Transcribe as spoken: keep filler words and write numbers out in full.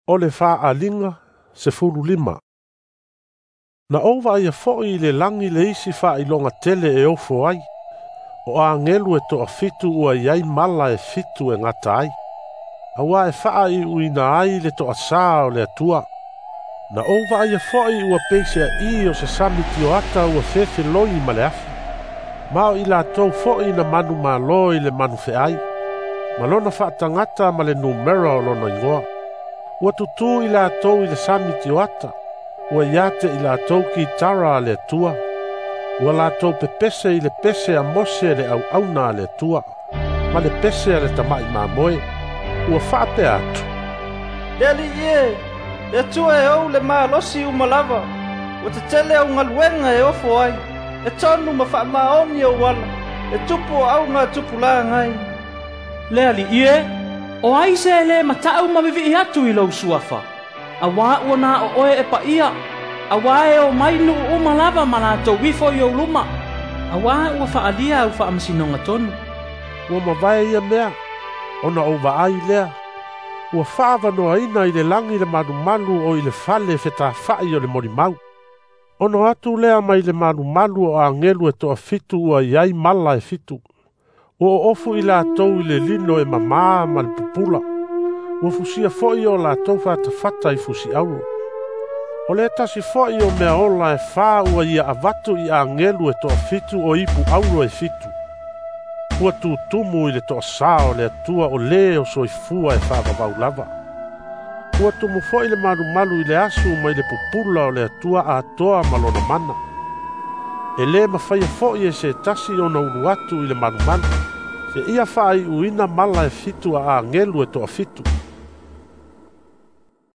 O le faaaliga sefulu lima. Na ou vaaia fo'i i le lagi le isi faailoga tele e ofo ai. O agelu e toafitu ua i ai mala e fitu e gata ai. Auā e faaiuina ai le toasā o le Atua. Na ou vaaia fo'i ua pei se aʻī o se sami tioata ua fefeloi ma le afi. Ma o i latou fo'i na manumalo i le manufeai, ma lona faatagata ma le numera o lona igoa. Ua tutū i latou i le sami tioata, ua ia te i latou kitara a le Atua, ua latou pepese i le pese a Mose le auauna a le Atua, ma le pese a le tama'i mamoe, ua faapea atu. Le Alii e, le Atua e ou le malosi uma lava, ua tetele au galuega e ofo ai, e tonu ma faamaoni ou ala, e tupu o augatupulagai. Le Alii e, o ai se e lē mataʻu ma vivii atu i lou Suafa, auā ua na o oe e paia, auā e omai nuu uma lava ma latou ifo i ou luma, auā ua faaalia au faamasinoga tonu. Ua mavae ia mea, ona ou vaai lea, ua faaavanoaina i le lagi le malumalu o i le fale fetafa'i o le molimau. Ona atu lea mai le malumalu o agelu e toafitu ua i ai mala e fitu. Ua oofu i latou i le lino e mamā ma le pupula. Ua fusia fo'i o latou fatafata i fusiauro. O le tasi fo'i o mea ola e fā ua ia avatu i agelu e toafitu o ipu auro e fitu. Ua tutumu i le toasā o le Atua o lē o soifua e faavavau lava. Ua tumu fo'i le malumalu i le asu mai le pupula o le Atua atoa ma lona mana. E lē mafaia fo'i e se tasi ona ulu atu i le malumalu, seia faaiuina mala e fitu a agelu e toafitu.